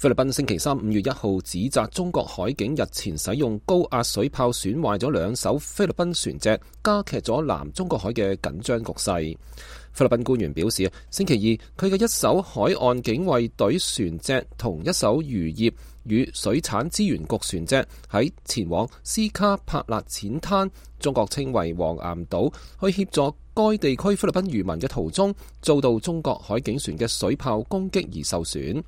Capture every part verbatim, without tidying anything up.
菲律賓星期三五月一號指責中國海警日前使用高壓水炮損壞咗兩艘菲律賓船隻，加劇咗南中國海嘅緊張局勢。菲律賓官員表示，星期二佢嘅一艘海岸警衛隊船隻同一艘漁業與水產資源局船隻喺前往斯卡帕勒淺灘，中國稱為黃岩島，去協助該地區菲律賓漁民嘅途中，遭到中國海警船嘅水炮攻擊而受損。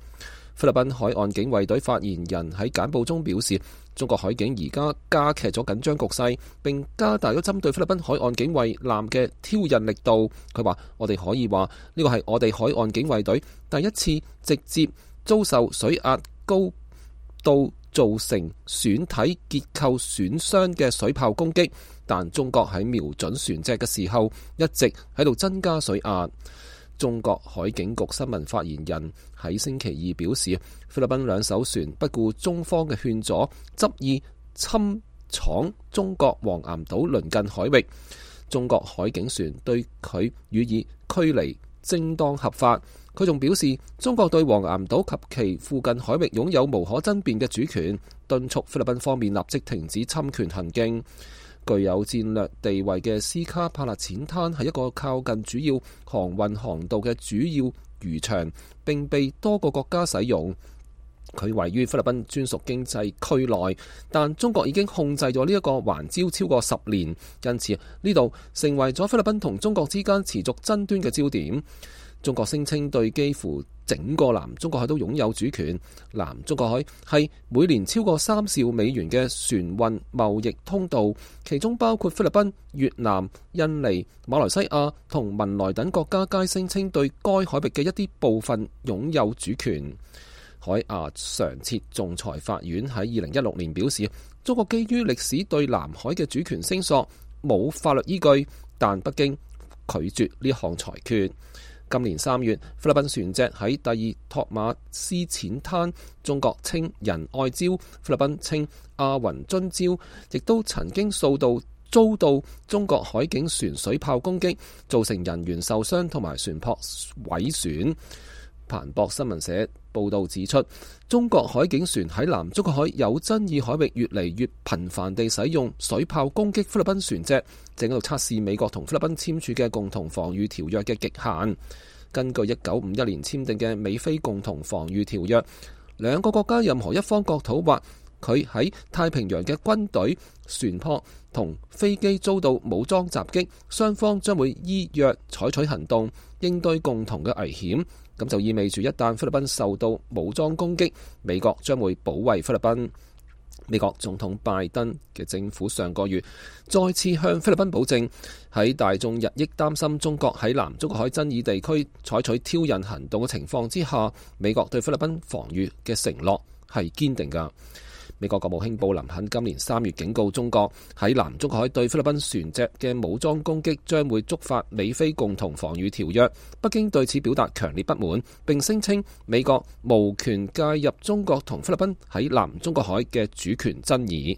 菲律賓海岸警衛隊發言人喺簡報中表示，中國海警而家加劇咗緊張局勢，並加大咗針對菲律賓海岸警衛艦嘅挑釁力度。佢話：我哋可以話呢個係我哋海岸警衛隊第一次直接遭受水壓高度造成船體結構損傷嘅水炮攻擊，但中國喺瞄準船隻嘅時候一直喺度增加水壓。中國海警局新聞發言人喺星期二表示，菲律賓兩艘船不顧中方嘅勸阻，執意侵闖中國黃岩島鄰近海域。中國海警船對佢予以驅離，正當合法。佢仲表示，中國對黃岩島及其附近海域擁有無可爭辯嘅主權，敦促菲律賓方面立即停止侵權行徑。具有戰略地位嘅斯卡帕勒淺灘係一個靠近主要航運航道嘅主要漁場，並被多個國家使用。佢位於菲律賓專屬經濟區內，但中國已經控制咗呢一個環礁超過十年，因此呢度成為咗菲律賓同中國之間持續爭端嘅焦點。中國聲稱對幾乎整個南中國海都擁有主權。南中國海係每年超過三兆美元嘅船運貿易通道，其中包括菲律賓、越南、印尼、馬來西亞同文萊等國家皆聲稱對該海域嘅一啲部分擁有主權。海牙常設仲裁法院喺二零一六年表示，中國基於歷史對南海嘅主權聲索冇法律依據，但北京拒絕呢項裁決。今年三月，菲律賓船隻喺第二托馬斯淺灘，中國稱仁愛礁，菲律賓稱阿雲津礁，亦都曾經數度遭到中國海警船水炮攻擊，造成人員受傷同埋船舶毀損。彭博新聞社報道指出，中國海警船喺南中國海有爭議海域越嚟越頻繁地使用水炮攻擊菲律賓船隻，正喺度測試美國同菲律賓簽署嘅共同防禦條約嘅極限。根據一九五一年簽訂嘅美菲共同防禦條約，兩個國家任何一方國土或佢喺太平洋嘅軍隊、船舶同飛機遭到武裝襲擊，雙方將會依約採取行動應對共同嘅危險。咁就意味住一旦菲律賓受到武裝攻擊，美國將會保衛菲律賓。美國總統拜登嘅政府上個月再次向菲律賓保證，喺大眾日益擔心中國喺南中國海爭議地區採取挑釁行動嘅情況之下，美國對菲律賓防禦嘅承諾係堅定㗎。美國國務卿布林肯今年三月警告中國，喺南中國海對菲律賓船隻嘅武裝攻擊將會觸發美菲共同防禦條約。北京對此表達強烈不滿，並聲稱美國無權介入中國同菲律賓喺南中國海嘅主權爭議。